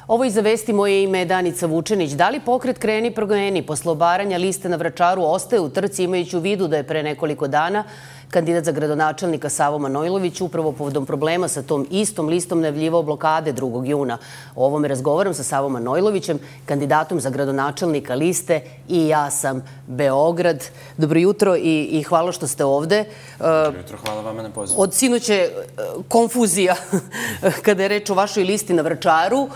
Ovo i za vesti, moje ime je Danica Vučenić. Da li pokret Kreni promeni posle obaranja liste na Vračaru ostaje u trci, imajući u vidu da je pre nekoliko dana kandidat za gradonačelnika Savo Manojlović upravo povodom problema sa tom istom listom najavljivao blokade 2. juna. O ovome razgovaram sa Savom Manojlovićem, kandidatom za gradonačelnika liste I ja sam Beograd. Dobro jutro i hvala što ste ovde. Dobro jutro, hvala vama na pozivu. Od sinoće konfuzija kada je reč o vašoj listi na Vračaru.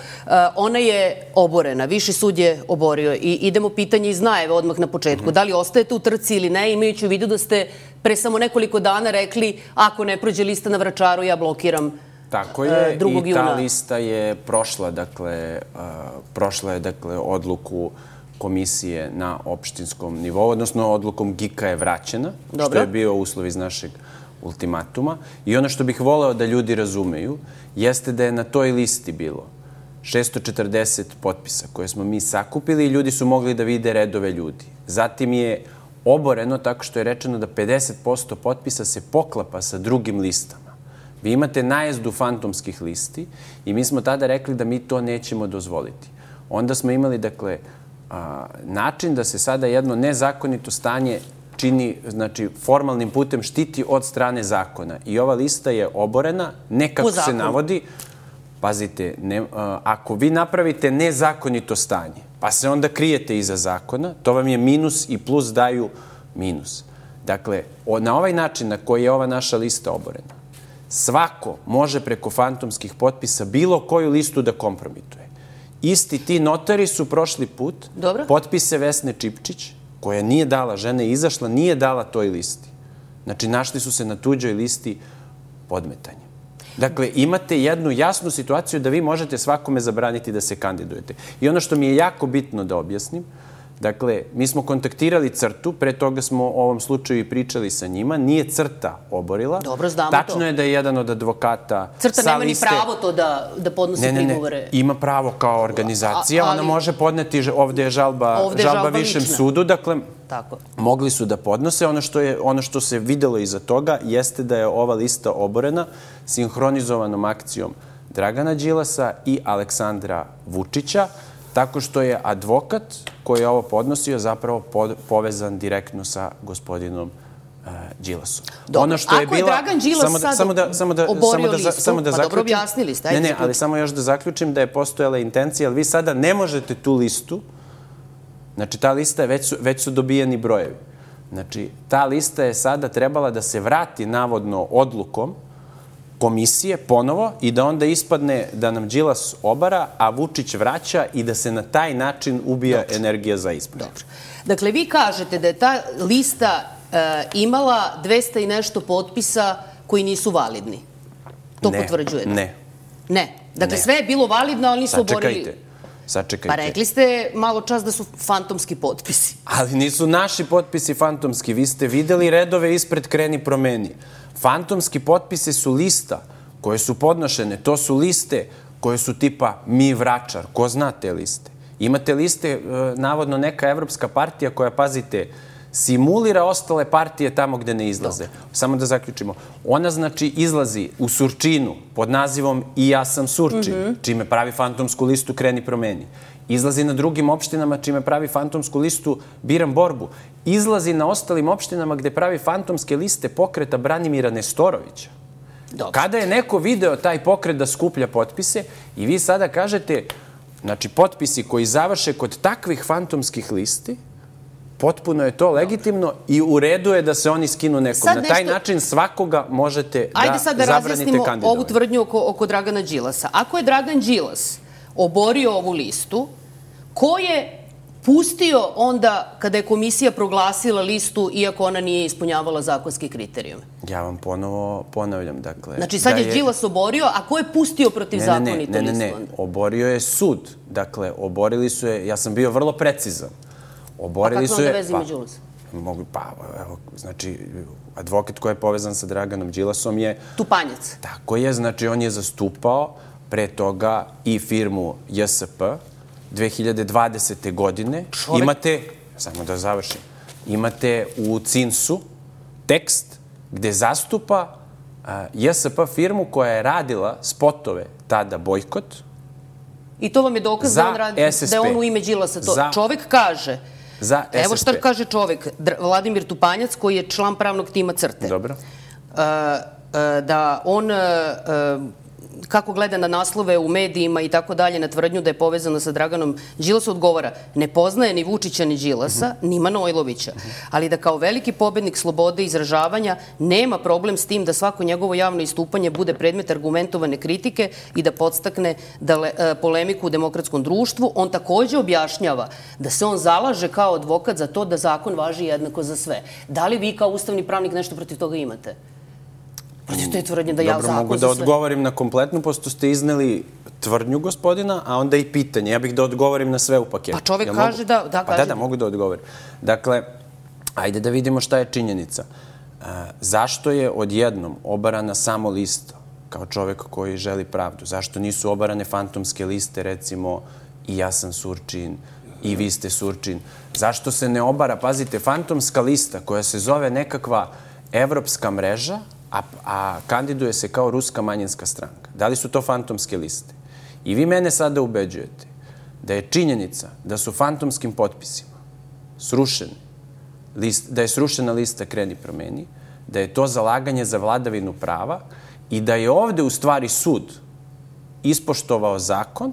Ona je oborena, Viši sud je oborio i idemo pitanje iz najave odmah na početku. Da li ostajete u trci ili ne, imajući u vidu da ste pre samo nekoliko dana rekli ako ne prođe lista na Vračaru, ja blokiram 2. juna. Tako je, i ta lista je prošla, prošla je odluku komisije na opštinskom nivou, odnosno odlukom GIK-a je vraćena, što je bio uslov iz našeg ultimatuma. I ono što bih voleo da ljudi razumeju jeste da je na toj listi bilo 640 potpisa koje smo mi sakupili i ljudi su mogli da vide redove ljudi. Zatim je oboreno tako što je rečeno da 50% potpisa se poklapa sa drugim listama. Vi imate najezdu fantomskih listi i mi smo tada rekli da mi to nećemo dozvoliti. Onda smo imali, način da se sada jedno nezakonito stanje čini, formalnim putem štiti od strane zakona. I ova lista je oborena, ne kako se navodi. Pazite, ako vi napravite nezakonito stanje, pa se onda krijete iza zakona, to vam je minus i plus daju minus. Dakle, na ovaj način na koji je ova naša lista oborena, svako može preko fantomskih potpisa bilo koju listu da kompromituje. Isti ti notari su prošli put potpise Vesne Čipčić, koja nije dala, žena je izašla, nije dala toj listi. Znači, našli su se na tuđoj listi podmetanja. Dakle, imate jednu jasnu situaciju da vi možete svakome zabraniti da se kandidujete. I ono što mi je jako bitno da objasnim, dakle, mi smo kontaktirali CRTA, pre toga smo o ovom slučaju i pričali sa njima, nije CRTA oborila. Dobro, znamo to. Tačno je da je jedan od advokata CRTA nema ni pravo to da podnosi prigovore. Ne, ima pravo kao organizacija, ona može podneti, ovde je žalba Višem sudu, dakle, mogli su da podnose. Ono što se videlo iza toga jeste da je ova lista oborena sinhronizovanom akcijom Dragana Đilasa i Aleksandra Vučića, tako što je advokat koji je ovo podnosio zapravo povezan direktno sa gospodinom Đilasom. Dobro, ako je Dragan Đilas sad oborio listu, pa dobro objasnili ste. Ne, ali samo još da zaključim da je postojala intencija, ali vi sada ne možete tu listu, znači ta lista već su dobijeni brojevi. Znači, ta lista je sada trebala da se vrati navodno odlukom komisije ponovo i da onda ispadne da nam Đilas obara, a Vučić vraća i da se na taj način ubija energija za izbor. Dakle, vi kažete da je ta lista imala 200 i nešto potpisa koji nisu validni. To potvrđujete? Ne. Ne. Dakle, sve je bilo validno, ali nisu oborili. Sačekajte. Pa rekli ste malo čas da su fantomski potpisi. Ali nisu naši potpisi fantomski. Vi ste videli redove ispred Kreni promeni. Fantomski potpise su lista koje su podnošene. To su liste koje su tipa Mi Vračar. Ko zna te liste? Imate liste, navodno neka evropska partija koja, pazite, simulira ostale partije tamo gde ne izlaze. Samo da zaključimo. Ona, znači, izlazi u Surčinu pod nazivom I ja sam Surčin, čime pravi fantomsku listu Kreni promeni. Izlazi na drugim opštinama čime pravi fantomsku listu Biram borbu. Izlazi na ostalim opštinama gde pravi fantomske liste pokreta Branimira Nestorovića. Kada je neko video taj pokret da skuplja potpise i vi sada kažete, znači, potpisi koji završe kod takvih fantomskih listi, potpuno je to legitimno i u redu je da se oni skinu nekom. Na taj način svakoga možete da zabranite kandidovanje. Ajde sad da razjasnimo ovu tvrdnju oko Dragana Đilasa. Ako je Dragan Đilas oborio ovu listu, ko je pustio onda kada je komisija proglasila listu iako ona nije ispunjavala zakonske kriterijume? Ja vam ponovo ponavljam, dakle... Znači sad je Đilas oborio, a ko je pustio protivzakonito listu? Ne, oborio je sud. Dakle, oborili su je, ja sam bio vrlo precizan. A kako onda vezi ima Đilas? Znači, advokat koji je povezan sa Draganom Đilasom je... Tupanjac. Tako je, znači on je zastupao pre toga i firmu JSP 2020. godine. Imate, samo da završim, imate u CINS-u tekst gde zastupa JSP firmu koja je radila spotove tada Bojkot I to vam je dokaz da je on u ime Đilasa to. Čovek kaže, evo šta kaže čovek, Vladimir Tupanjac, koji je član pravnog tima CRTE. Dobro. Da on, kako gleda na naslove u medijima i tako dalje, na tvrdnju da je povezano sa Draganom Đilasom, odgovara, ne poznaje ni Vučića ni Đilasa, ni Manojlovića, ali da kao veliki pobednik slobode izražavanja nema problem s tim da svako njegovo javno istupanje bude predmet argumentovane kritike i da podstakne polemiku u demokratskom društvu. On takođe objašnjava da se on zalaže kao advokat za to da zakon važi jednako za sve. Da li vi kao ustavni pravnik nešto protiv toga imate? Protiv te tvrdnje da ja zakon za sve... Dobro, mogu da odgovorim na kompletnu, posto ste izneli tvrdnju gospodina, a onda i pitanje. Ja bih da odgovorim na sve u paketu. Pa čovek kaže da... Da, mogu da odgovorim. Dakle, ajde da vidimo šta je činjenica. Zašto je odjednom obarana samo lista kao čovek koji želi pravdu? Zašto nisu obarane fantomske liste, recimo, i ja sam Surčin, i vi ste Surčin? Zašto se ne obara, pazite, fantomska lista koja se zove nekakva evropska mreža, a kandiduje se kao ruska manjinska stranka? Da li su to fantomske liste? I vi mene sada ubeđujete da je činjenica da su fantomskim potpisima srušeni, da je srušena lista Kreni promeni, da je to zalaganje za vladavinu prava i da je ovde u stvari sud ispoštovao zakon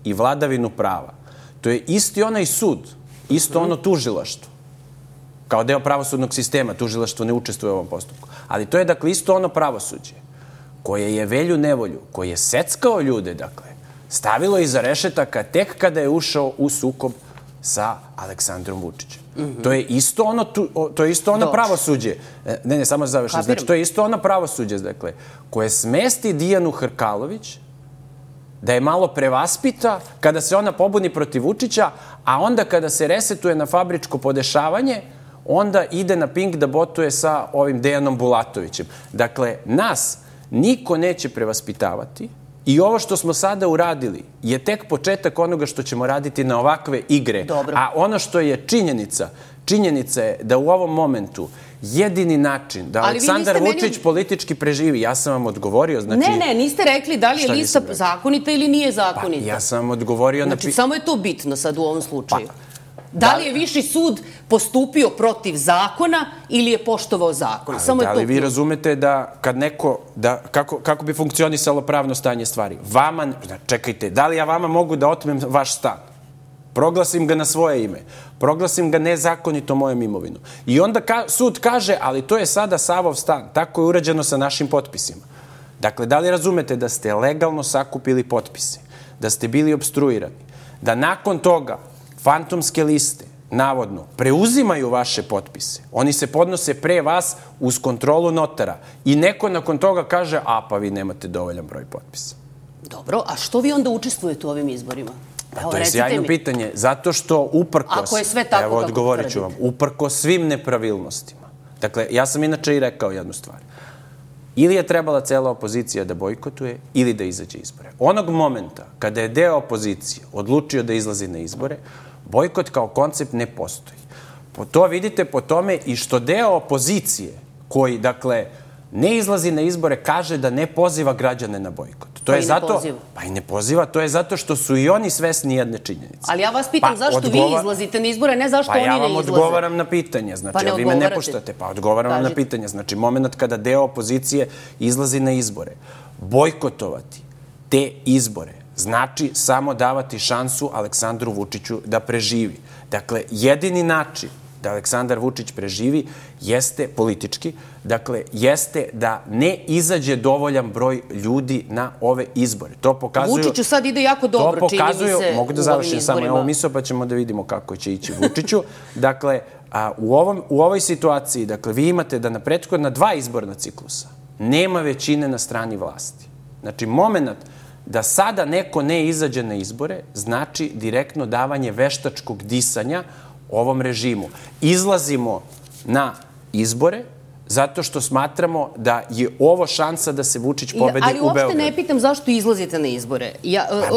i vladavinu prava. To je isti onaj sud, isto ono tužilaštvo. Kao deo pravosudnog sistema, tužilaštvo ne učestvuje u ovom postupku. Ali to je, dakle, isto ono pravosuđe koje je Velju Nevolju, koje je seckao ljude, dakle, stavilo iza rešetaka tek kada je ušao u sukob sa Aleksandrom Vučićem. To je isto ono pravosuđe. Ne, samo završim. Znači, to je isto ono pravosuđe, dakle, koje smesti Dijanu Hrkalović da je malo prevaspita kada se ona pobuni protiv Vučića, a onda kada se resetuje na fabričko podešavanje, onda ide na Pink da botuje sa ovim Dejanom Bulatovićem. Dakle, nas niko neće prevaspitavati i ovo što smo sada uradili je tek početak onoga što ćemo raditi na ovakve igre. Dobro. A ono što je činjenica je da u ovom momentu jedini način da Aleksandar Vučić politički preživi, ja sam vam odgovorio, znači... Ne, niste rekli da li je lista zakonita ili nije zakonita. Pa, ja sam vam odgovorio... Znači, samo je to bitno sad u ovom slučaju. Da li je Viši sud postupio protiv zakona ili je poštovao zakon? Ali da li vi razumete da kad neko, kako bi funkcionisalo pravno stanje stvari? Vama, čekajte, da li ja vama mogu da otmem vaš stan? Proglasim ga na svoje ime. Proglasim ga nezakonito mojom imovinom. I onda sud kaže, ali to je sada Savov stan. Tako je urađeno sa našim potpisima. Dakle, da li razumete da ste legalno sakupili potpise? Da ste bili opstruirani? Da nakon toga fantomske liste, navodno, preuzimaju vaše potpise. Oni se podnose pre vas uz kontrolu notara. I neko nakon toga kaže, pa vi nemate dovoljan broj potpisa. Dobro, a što vi onda učestvujete u ovim izborima? To je sjajno pitanje. Zato što uprkos... Ako je sve tako kako tvrdite. Evo, odgovorit ću vam. Uprkos svim nepravilnostima. Dakle, ja sam inače i rekao jednu stvar. Ili je trebala cela opozicija da bojkotuje, ili da izađe izbore. Onog momenta kada je deo opozicije odlučio da izlazi na izbore, bojkot kao koncept ne postoji. To vidite po tome i što deo opozicije koji, dakle, ne izlazi na izbore, kaže da ne poziva građane na bojkot. Pa i ne poziva. Pa i ne poziva, to je zato što su i oni svesni jedne činjenice. Ali ja vas pitam zašto vi izlazite na izbore, ne zašto oni ne izlaze. Pa ja vam odgovaram na pitanje, znači, a vi me ne puštate. Pa odgovaram vam na pitanje. Znači, moment kada deo opozicije izlazi na izbore, bojkotovati te izbore znači samo davati šansu Aleksandru Vučiću da preživi. Dakle, jedini način da Aleksandar Vučić preživi jeste politički, dakle, jeste da ne izađe dovoljan broj ljudi na ove izbore. To pokazuju... Vučiću sad ide jako dobro, čini mi se, mogu da završim samo ovo misao, pa ćemo da vidimo kako će ići Vučiću. Dakle, u ovoj situaciji, dakle, vi imate da na prethodna 2 izborna ciklusa nema većine na strani vlasti. Znači, moment da sada neko ne izađe na izbore znači direktno davanje veštačkog disanja ovom režimu. Izlazimo na izbore zato što smatramo da je ovo šansa da se Vučić pobedi u Beogradu. Ali uopšte ne pitam zašto izlazite na izbore.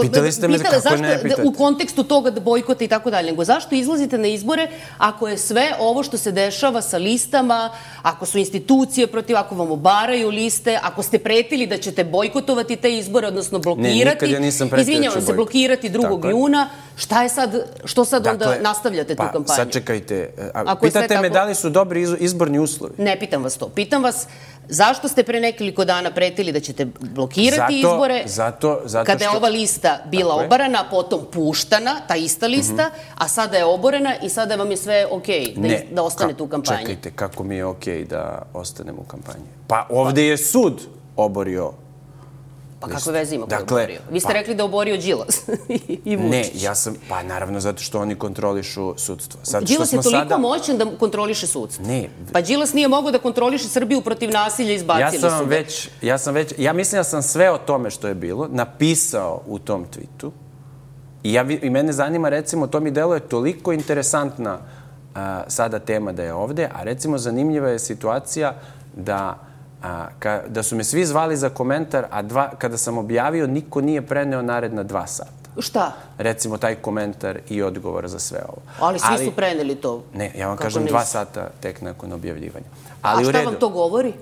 Pitali ste me kako ne pitate. U kontekstu toga da bojkota i tako dalje, nego zašto izlazite na izbore ako je sve ovo što se dešava sa listama, ako su institucije protiv, ako vam obaraju liste, ako ste pretili da ćete bojkotovati te izbore, odnosno blokirati. Ne, nikad ja nisam pretio. Izvinjavam se, blokirati 2. juna. Šta je sad, što sad onda nastavljate tu kampanju? Pa sačekajte, pitate me da li su dobri izborni uslovi? Ne pitam vas to. Pitam vas zašto ste pre nekoliko dana pretili da ćete blokirati izbore kada je ova lista bila obarana, potom puštana, ta ista lista, a sada je oborena i sada vam je sve okej da ostanete u kampanji. Čekajte, kako mi je okej da ostanem u kampanji? Pa ovde je sud oborio. Pa kakve veze ima ko je oborio? Vi ste rekli da je oborio Đilas i Vučić. Ne, ja sam, pa naravno zato što oni kontrolišu sudstvo. Đilas je toliko moćan da kontroliše sudstvo. Ne. Pa Đilas nije mogao da kontroliše Srbiju protiv nasilja, izbacili su ga. Ja mislim da sam sve o tome što je bilo napisao u tom tweetu i mene zanima, recimo, to mi deluje toliko interesantna sada tema da je ovde, a recimo zanimljiva je situacija da su me svi zvali za komentar, a kada sam objavio, niko nije preneo naredna 2 sata. Šta? Recimo, taj komentar i odgovor za sve ovo. Ali svi su preneli to. Ne, ja vam kažem 2 sata tek nakon objavljivanja. A šta vam to govori?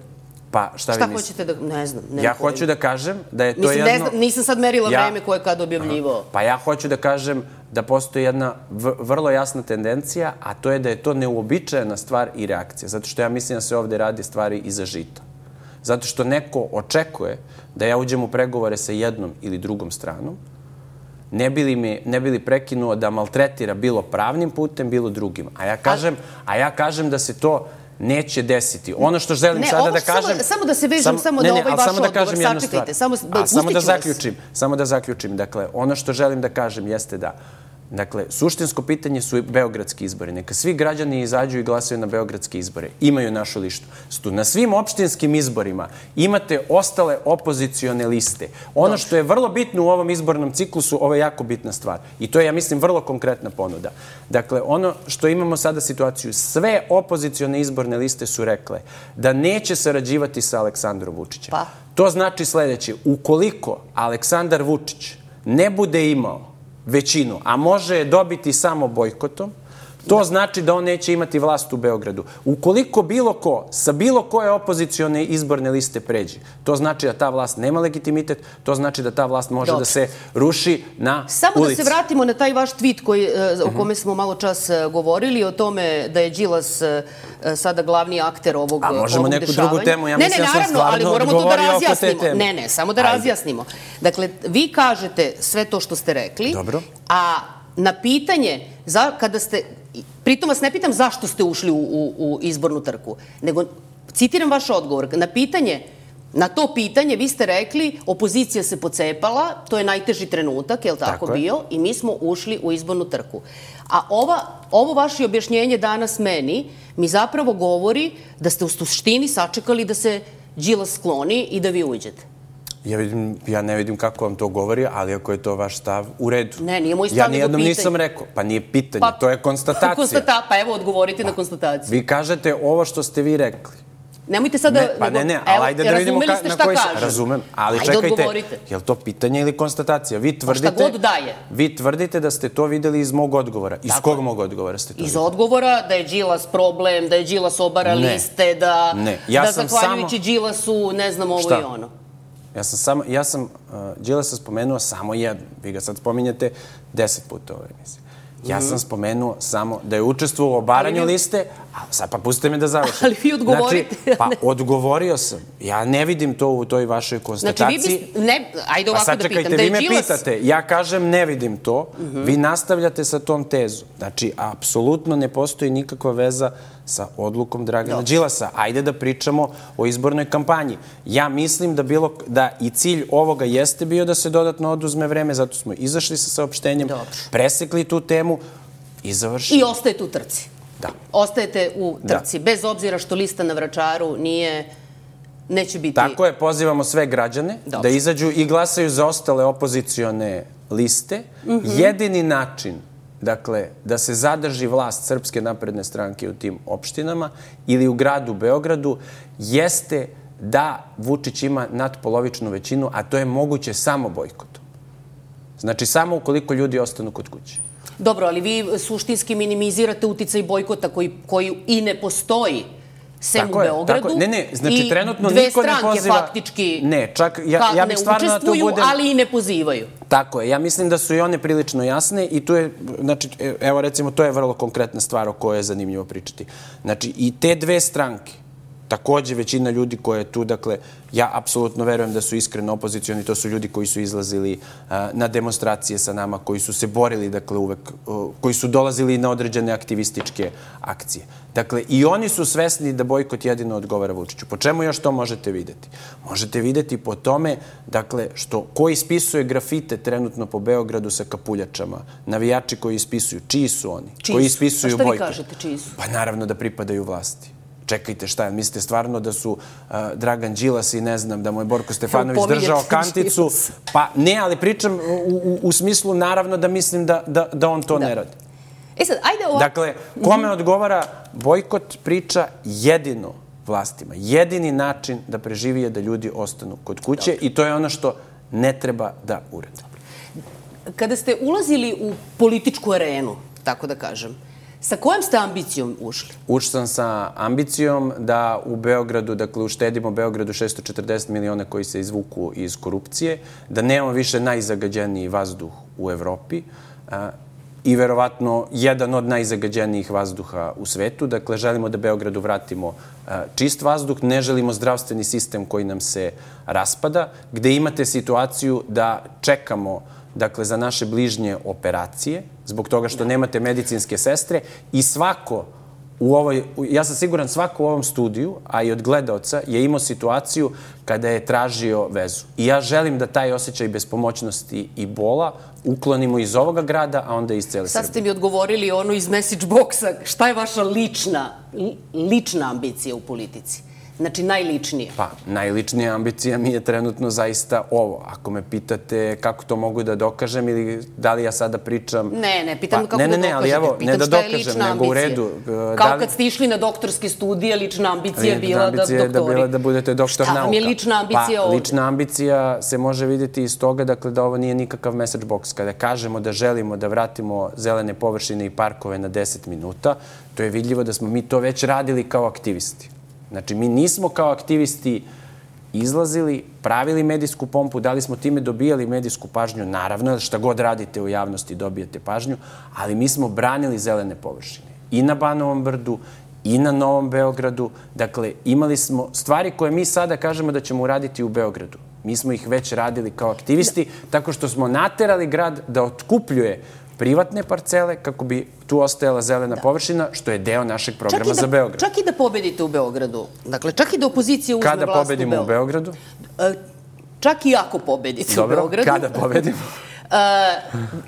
Pa, šta vi mislite? Šta hoćete da... Ne znam. Ja hoću da kažem da je to jedno... Nisam sad merila vreme koje je kad objavljivao. Pa ja hoću da kažem da postoji jedna vrlo jasna tendencija, a to je da je to neuobičajena stvar i reakcija. Zato što ja mislim da se ovde radi stvari iza žita. Zato što neko očekuje da ja uđem u pregovore sa jednom ili drugom stranom, ne bi li prekinuo da maltretira bilo pravnim putem, bilo drugim. A ja kažem da se to neće desiti. Ono što želim sada da kažem... Samo da se vežem, samo da ovaj vaš odgovor, sačekajte. Samo da zaključim. Dakle, ono što želim da kažem jeste da suštinsko pitanje su beogradski izbori. Neka svi građani izađu i glasaju na beogradske izbore. Imaju našu listu. Na svim opštinskim izborima imate ostale opozicione liste. Ono što je vrlo bitno u ovom izbornom ciklusu, ovo je jako bitna stvar. I to je, ja mislim, vrlo konkretna ponuda. Dakle, ono što imamo sada situaciju, sve opozicione izborne liste su rekle da neće sarađivati sa Aleksandrom Vučićem. To znači sledeće. Ukoliko Aleksandar Vučić ne bude imao većinu, a može je dobiti samo bojkotom, to znači da on neće imati vlast u Beogradu. Ukoliko bilo ko sa bilo koje opozicione izborne liste pređe, to znači da ta vlast nema legitimitet, to znači da ta vlast može da se ruši na ulici. Samo da se vratimo na taj vaš tweet o kome smo malo čas govorili, o tome da je Đilas sada glavni akter ovog dešavanja. A možemo neku drugu temu, ja mislim da sam stvarno odgovorio oko te teme. Ne, samo da razjasnimo. Dakle, vi kažete sve to što ste rekli, a na pitanje, kada ste, pritom vas ne pitam zašto ste ušli u izbornu trku, nego citiram vaš odgovor, na to pitanje vi ste rekli opozicija se pocepala, to je najteži trenutak, je li tako bio, i mi smo ušli u izbornu trku. A ovo vaše objašnjenje danas meni mi zapravo govori da ste u suštini sačekali da se Đilas skloni i da vi uđete. Ja ne vidim kako vam to govori, ali ako je to vaš stav, u redu. Ne, nije moj stav, nego pitanje. Ja nijednom nisam rekao. Pa nije pitanje, to je konstatacija. Pa evo, odgovorite na konstataciju. Vi kažete ovo što ste vi rekli. Nemojte sada... Ne, ali ajde da vidimo na koji se... Razumem, ali čekajte, je li to pitanje ili konstatacija? Pa šta god daje. Vi tvrdite da ste to videli iz mog odgovora. Iz kog mog odgovora ste to videli? Iz odgovora da je Đilas problem, da je Đilas obara liste, da zahvaljujući Đilasu ne znam ovo i ono. Ja sam Đilasa spomenuo samo jedno. Vi ga sad spominjete 10 puta u ovoj emisiji. Ja sam spomenuo samo da je učestvovao u obaranju liste, a sad pa pustite me da završim. Ali vi odgovorite. Pa odgovorio sam. Ja ne vidim to u toj vašoj konstataciji. Znači vi ajde ovako da pitam. Sad čekajte, vi me pitate, ja kažem ne vidim to, vi nastavljate sa tom tezom. Znači, apsolutno ne postoji nikakva veza sa odlukom Dragana Đilasa. Ajde da pričamo o izbornoj kampanji. Ja mislim da i cilj ovoga jeste bio da se dodatno oduzme vreme, zato smo izašli sa saopštenjem, presekli tu temu i završili. I ostajete u trci. Da. Ostajete u trci, bez obzira što lista na Vračaru neće biti... Tako je, pozivamo sve građane da izađu i glasaju za ostale opozicione liste. Jedini način dakle, da se zadrži vlast Srpske napredne stranke u tim opštinama ili u gradu Beogradu, jeste da Vučić ima nadpolovičnu većinu, a to je moguće samo bojkotom. Znači, samo ukoliko ljudi ostanu kod kuće. Dobro, ali vi suštinski minimizirate uticaj bojkota koji i ne postoji sem u Beogradu. Ne, znači trenutno i niko ne poziva... dve stranke faktički ne, čak ja bih stvarno da to budem... ali i ne pozivaju. Tako je, ja mislim da su i one prilično jasne i tu je, znači, evo recimo, to je vrlo konkretna stvar o kojoj je zanimljivo pričati. Znači, i te dve stranke, takođe većina ljudi koje je tu, dakle, ja apsolutno verujem da su iskreno opozicioni, to su ljudi koji su izlazili na demonstracije sa nama, koji su se borili, dakle, uvek, koji su dolazili na određene aktivističke akcije. Dakle, i oni su svesni da bojkot jedino odgovara Vučiću. Po čemu još to možete videti? Možete videti po tome, dakle, što ko ispisuje grafite trenutno po Beogradu sa kapuljačama, navijači koji ispisuju, čiji su oni? Koji ispisuju bojkot? A šta vi kažete, čiji su? Pa naravno da pripadaju vlasti. Čekajte, šta, mislite stvarno da su Dragan Đilas i ne znam, da mu je Borko Stefanović držao kanticu? Pa ne, ali pričam u smislu naravno da mislim da on to ne radi. Sad, ajde ovako. Dakle, kome odgovara bojkot priča jedino vlastima. Jedini način da preživi je da ljudi ostanu kod kuće i to je ono što ne treba da urade. Kada ste ulazili u političku arenu, tako da kažem, sa kojom ste ambicijom ušli? Ušao sam sa ambicijom da u Beogradu, dakle, uštedimo Beogradu 640 miliona koji se izvuku iz korupcije, da nemamo više najzagađeniji vazduh u Evropi i verovatno jedan od najzagađenijih vazduha u svetu. Dakle, želimo da Beogradu vratimo čist vazduh, ne želimo zdravstveni sistem koji nam se raspada, gde imate situaciju da čekamo, dakle, za naše bližnje operacije, zbog toga što nemate medicinske sestre i svako u ovoj, ja sam siguran svako u ovom studiju, a i od gledaoca, je imao situaciju kada je tražio vezu. I ja želim da taj osjećaj bespomoćnosti i bola uklonimo iz ovoga grada, a onda iz cele Srbije. Sad ste mi odgovorili ono iz message boxa. Šta je vaša lična ambicija u politici? Znači, najličnije. Pa, najličnija ambicija mi je trenutno zaista ovo. Ako me pitate kako to mogu da dokažem ili da li ja sada pričam... Ne, pitam kako da dokažete. Ne, ali evo, ne da dokažem, nego u redu. Kao kad ste išli na doktorske studije, lična ambicija je bila da doktori. Da bila da budete doktor nauka. Šta vam je lična ambicija ovdje? Pa, lična ambicija se može vidjeti iz toga, dakle, da ovo nije nikakav message box. Kada kažemo da želimo da vratimo zelene površine i parkove na 10 minuta, to je vidljivo da smo mi to već radili kao aktivisti. Znači, mi nismo kao aktivisti izlazili, pravili medijsku pompu, da li smo time dobijali medijsku pažnju, naravno, šta god radite u javnosti dobijete pažnju, ali mi smo branili zelene površine. I na Banovom brdu, i na Novom Beogradu. Dakle, imali smo stvari koje mi sada kažemo da ćemo uraditi u Beogradu. Mi smo ih već radili kao aktivisti, tako što smo naterali grad da otkupljuje privatne parcele kako bi tu ostajala zelena površina, što je deo našeg programa za Beograd. Čak i da pobedite u Beogradu. Dakle, čak i da opozicija uzme vlast u Beogradu. Kada pobedimo u Beogradu? Čak i ako pobedite u Beogradu. Dobro, kada pobedimo?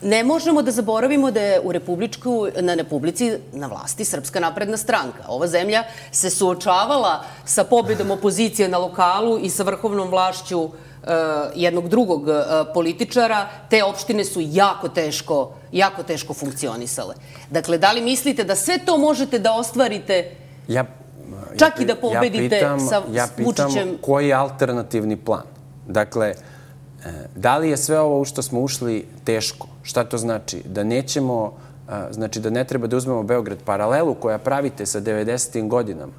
Ne možemo da zaboravimo da je u Republici na vlasti Srpska napredna stranka. Ova zemlja se suočavala sa pobedom opozicije na lokalu i sa vrhovnom vlašću jednog drugog političara. Te opštine su jako teško funkcionisale. Dakle, da li mislite da sve to možete da ostvarite čak i da pobedite sa Vučićem? Ja pitam koji je alternativni plan? Dakle, da li je sve ovo u što smo ušli teško? Šta to znači? Da nećemo, znači da ne treba da uzmemo Beograd. Paralelu koja pravite sa 90. godinama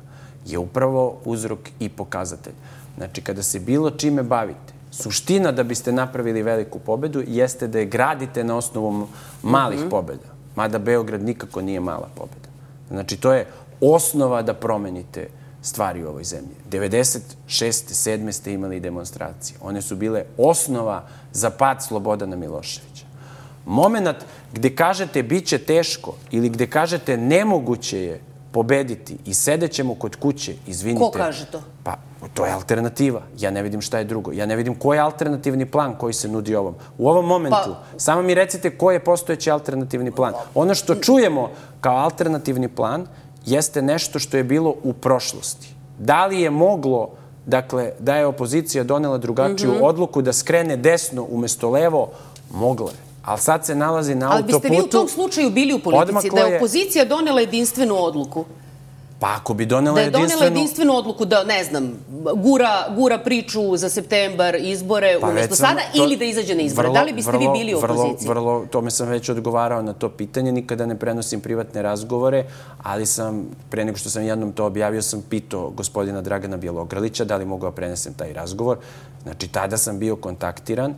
je upravo uzrok i pokazatelj. Znači, kada se bilo čime bavite, suština da biste napravili veliku pobedu jeste da je gradite na osnovu malih pobeda. Mada Beograd nikako nije mala pobeda. Znači, to je osnova da promenite stvari u ovoj zemlji. 96. 7. ste imali demonstracije. One su bile osnova za pad Slobodana Miloševića. Moment gde kažete bit će teško ili gde kažete nemoguće je pobediti i sedećemo kod kuće, izvinite... Ko kaže to? Pa, to je alternativa. Ja ne vidim šta je drugo. Ja ne vidim koji je alternativni plan koji se nudi ovom. U ovom momentu, samo mi recite koji je postojeći alternativni plan. Ono što čujemo kao alternativni plan jeste nešto što je bilo u prošlosti. Da li je moglo, dakle, da je opozicija donela drugačiju odluku da skrene desno umesto levo? Mogla je. ali sad se nalazi na autoputu. Ali biste vi u tom slučaju bili u politici, da je opozicija donela jedinstvenu odluku? Pa ako bi donela jedinstvenu odluku da, ne znam, gura priču za septembar, izbore, umjesto sada, ili da izađe na izbore. Da li biste vi bili u opoziciji? Vrlo, tome sam već odgovarao na to pitanje. Nikada ne prenosim privatne razgovore, ali sam, pre nego što sam jednom to objavio, sam pitao gospodina Dragana Bjelogrlića da li mogu da prenesem taj razgovor. Znači, tada sam bio kontaktiran,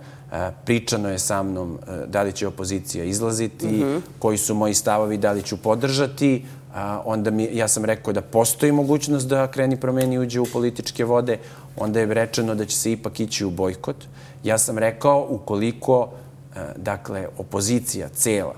pričano je sa mnom da li će opozicija izlaziti, koji su moji stavovi, da li ću podržati. Onda ja sam rekao da postoji mogućnost da Kreni promeni uđe u političke vode, onda je rečeno da će se ipak ići u bojkot. Ja sam rekao, ukoliko, dakle, opozicija cela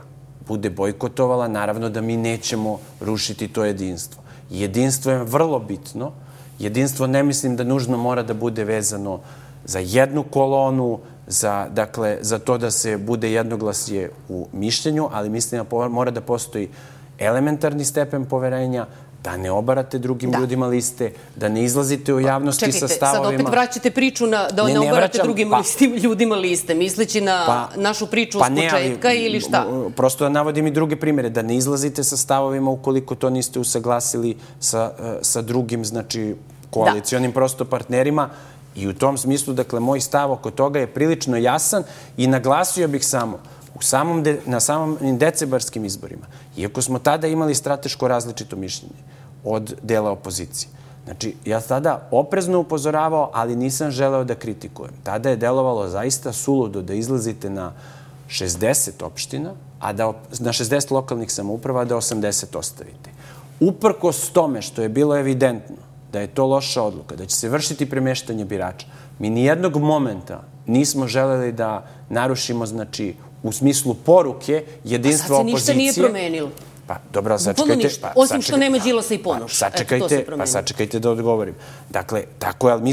bude bojkotovala, naravno da mi nećemo rušiti to jedinstvo. Jedinstvo je vrlo bitno. Jedinstvo ne mislim da nužno mora da bude vezano za jednu kolonu, za to da se bude jednoglasje u mišljenju, ali mislim da mora da postoji elementarni stepen poverenja, da ne obarate drugim ljudima liste, da ne izlazite u javnosti sa stavovima. Čekajte, sad opet vraćate priču da ne obarate drugim ljudima liste, misleći na našu priču s početka ili šta? Prosto da navodim i druge primjere, da ne izlazite sa stavovima ukoliko to niste usaglasili sa drugim, znači, koalicionim prosto partnerima. I u tom smislu, dakle, moj stav oko toga je prilično jasan i naglasio bih samo na samim decembarskim izborima, iako smo tada imali strateško različito mišljenje od dela opozicije. Znači, ja tada oprezno upozoravao, ali nisam želeo da kritikujem. Tada je delovalo zaista suludo da izlazite na 60 opština, na 60 lokalnih samouprava, a da 80 ostavite. Uprkos tome što je bilo evidentno da je to loša odluka, da će se vršiti premeštanje birača, mi nijednog momenta nismo želeli da narušimo, znači, u smislu poruke jedinstva opozicije. A sad se ništa nije promenilo. Pa, dobro, sačekajte. Osim što nema Đilasa i Ponoša. Sačekajte da odgovorim. Dakle, tako je, ali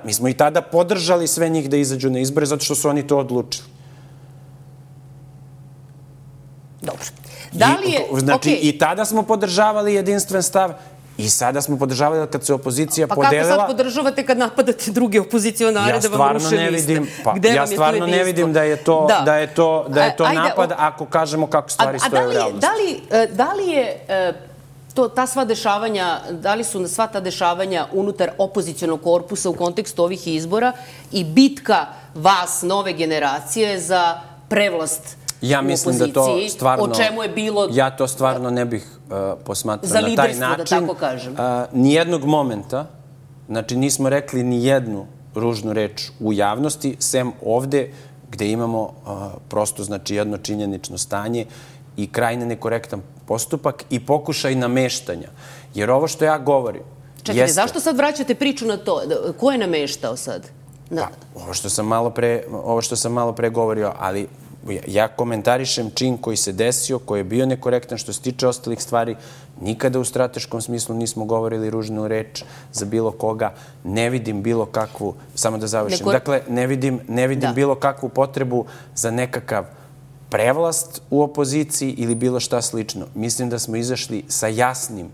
mi smo i tada podržali sve njih da izađu na izbore, zato što su oni to odlučili. Dobro. Znači, i tada smo podržavali jedinstven stav, i sada smo podržavali kad se opozicija podelila... Pa kako sad podržavate kad napadate druge opozicionare da vam ruše liste? Ja stvarno ne vidim da je to napad ako kažemo kako stvari stoje u realnosti. Da li je ta sva dešavanja, da li su sva ta dešavanja unutar opozicionog korpusa u kontekstu ovih izbora i bitka vas, nove generacije, za prevlast ja mislim da to stvarno... O čemu je bilo... Ja to stvarno ne bih posmatrao na taj način. Za liderstvo, da tako kažem. Nijednog momenta, znači nismo rekli nijednu ružnu reč u javnosti, sem ovde gde imamo prosto, znači, jedno činjenično stanje i krajne nekorektan postupak i pokušaj nameštanja. Jer ovo što ja govorim... Čekajte, zašto sad vraćate priču na to? Ko je nameštao sad? Ovo što sam malo pre govorio, ali... Ja komentarišem čin koji se desio, koji je bio nekorektan što se tiče ostalih stvari. Nikada u strateškom smislu nismo govorili ružnu reč za bilo koga. Ne vidim bilo kakvu, samo da završim, dakle, ne vidim bilo kakvu potrebu za nekakav prevlast u opoziciji ili bilo šta slično. Mislim da smo izašli sa jasnim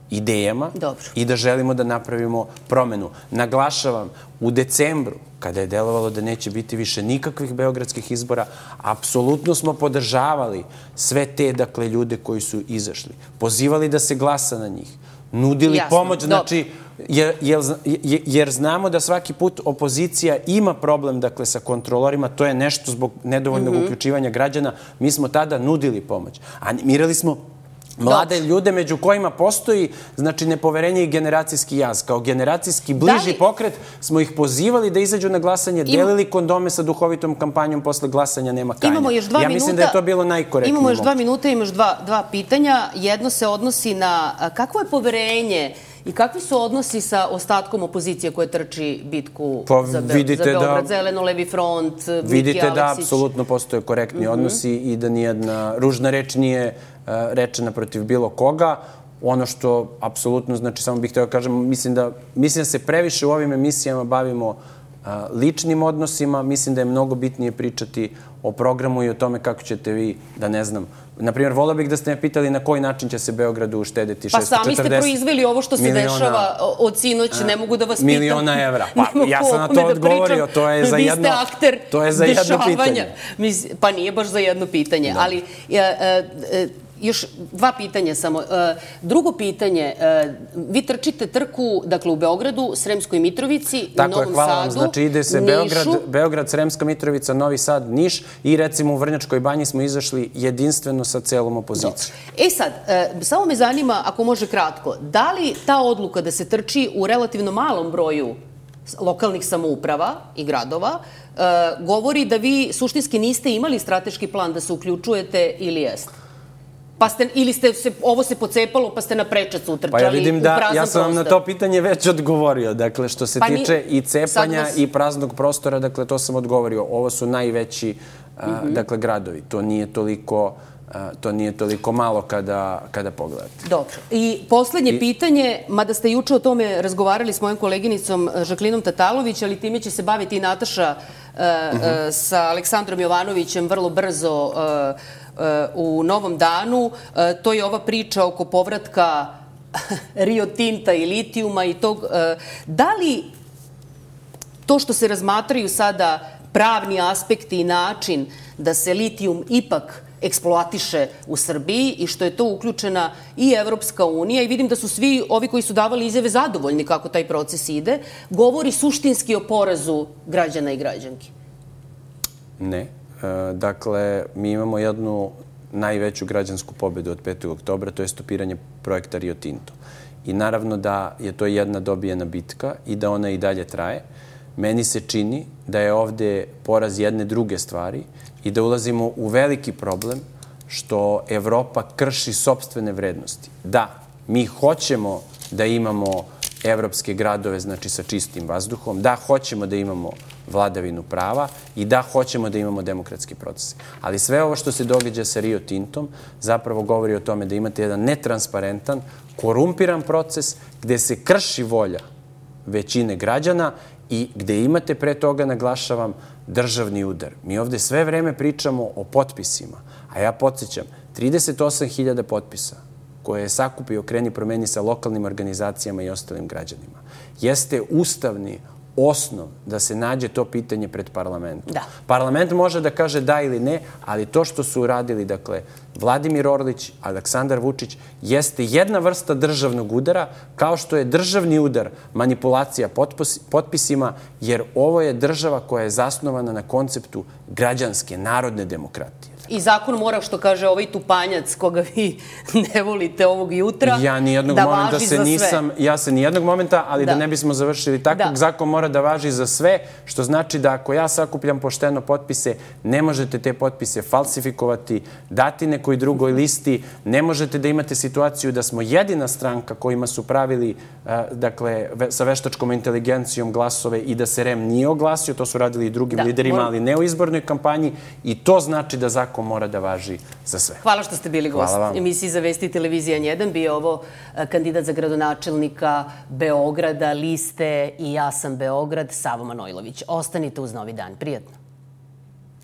idejama i da želimo da napravimo promenu. Naglašavam, u decembru, kada je delovalo da neće biti više nikakvih beogradskih izbora, apsolutno smo podržavali sve te, dakle, ljude koji su izašli. Pozivali da se glasa na njih. Nudili pomoć, znači, jer znamo da svaki put opozicija ima problem, dakle, sa kontrolorima, to je nešto zbog nedovoljnog uključivanja građana. Mi smo tada nudili pomoć. Animirali smo mlade ljude među kojima postoji, znači, nepoverenje i generacijski jaz. Kao generacijski bliži pokret smo ih pozivali da izađu na glasanje, delili kondome sa duhovitom kampanjom, posle glasanja nema kajanja. Ja mislim da je to bilo najkorektnije. Imamo još 2 minuta, imamo još dva pitanja. Jedno se odnosi na kakvo je poverenje i kakvi su odnosi sa ostatkom opozicije koje trči bitku za Beograd, Zeleno-levi front, Miki Aleksić? Vidite da apsolutno postoje korektni odnosi i da nijedna ružna reč nije rečena protiv bilo koga. Ono što apsolutno, znači, samo bih htio da kažem, mislim da se previše u ovim emisijama bavimo ličnim odnosima. Mislim da je mnogo bitnije pričati o programu i o tome kako ćete vi, da ne znam, Naprimjer, volao bih da ste me pitali na koji način će se Beogradu uštedeti 640 Pa sami ste proizveli ovo što se dešava od sinoć, ne mogu da vas pitam. Miliona evra. Pa ja sam na to odgovorio, to je za jedno pitanje. Pa nije baš za jedno pitanje, ali još dva pitanja samo. Drugo pitanje, vi trčite trku, dakle, u Beogradu, Sremskoj Mitrovici, u Novom Sadu, Nišu. Hvala vam. Znači, ide se Beograd, Sremska Mitrovica, Novi Sad, Niš i recimo u Vrnjačkoj banji smo izašli jedinstveno sa celom opozicijom. Sad, samo me zanima, ako može kratko, da li ta odluka da se trči u relativno malom broju lokalnih samouprava i gradova govori da vi suštinski niste imali strateški plan da se uključujete ili jeste? Ili ovo se pocepalo pa ste na prečac utrčali u prazan prostor? Pa ja vidim da, ja sam vam na to pitanje već odgovorio. Dakle, što se tiče i cepanja i praznog prostora, dakle, to sam odgovorio. Ovo su najveći, dakle, gradovi. To nije toliko malo kada pogledate. Dobro. I poslednje pitanje, mada ste juče o tome razgovarali s mojom koleginicom Žaklinom Tatalović, ali time će se baviti i Nataša sa Aleksandrom Jovanovićem vrlo brzo u Novom Danu. To je ova priča oko povratka Rio Tinta i litijuma i tog. Da li to što se razmatraju sada pravni aspekti i način da se litijum ipak eksploatiše u Srbiji i što je to uključena i Evropska unija i vidim da su svi ovi koji su davali izjave zadovoljni kako taj proces ide, govori suštinski o porazu građana i građanki? Ne. Dakle, mi imamo jednu najveću građansku pobedu od 5. oktobra, to je stopiranje projekta Rio Tinto. I naravno da je to jedna dobijena bitka i da ona i dalje traje. Meni se čini da je ovde poraz jedne druge stvari i da ulazimo u veliki problem što Evropa krši sopstvene vrednosti. Da, mi hoćemo da imamo evropske gradove, znači sa čistim vazduhom, da, hoćemo da imamo vladavinu prava i da, hoćemo da imamo demokratski proces. Ali sve ovo što se događa sa Rio Tintom zapravo govori o tome da imate jedan netransparentan, korumpiran proces gde se krši volja većine građana i gde imate pre toga, naglašavam, državni udar. Mi ovde sve vreme pričamo o potpisima, a ja podsjećam, 38.000 potpisa koje je sakupio Kreni promeni sa lokalnim organizacijama i ostalim građanima, jeste ustavni osnov da se nađe to pitanje pred parlamentom. Parlament može da kaže da ili ne, ali to što su uradili, dakle, Vladimir Orlić, Aleksandar Vučić, jeste jedna vrsta državnog udara, kao što je državni udar manipulacija potpisima, jer ovo je država koja je zasnovana na konceptu građanske, narodne demokratije. I zakon mora, što kaže ovaj tupanjac koga vi ne volite ovog jutra, da važi za sve. Ja se nijednog momenta, ali da ne bismo završili tako, zakon mora da važi za sve, što znači da ako ja sakupljam pošteno potpise, ne možete te potpise falsifikovati, dati nekoj drugoj listi, ne možete da imate situaciju da smo jedina stranka kojima su pravili, dakle, sa veštačkom inteligencijom glasove i da se REM nije oglasio, to su radili i drugim liderima, ali ne u izbornoj kampanji, i to znači da zakon mora da važi za sve. Hvala što ste bili gost emisiji za Vesti televizija N1. Bio ovo kandidat za gradonačelnika Beograda, liste I ja sam Beograd, Savo Manojlović. Ostanite uz Novi dan. Prijatno.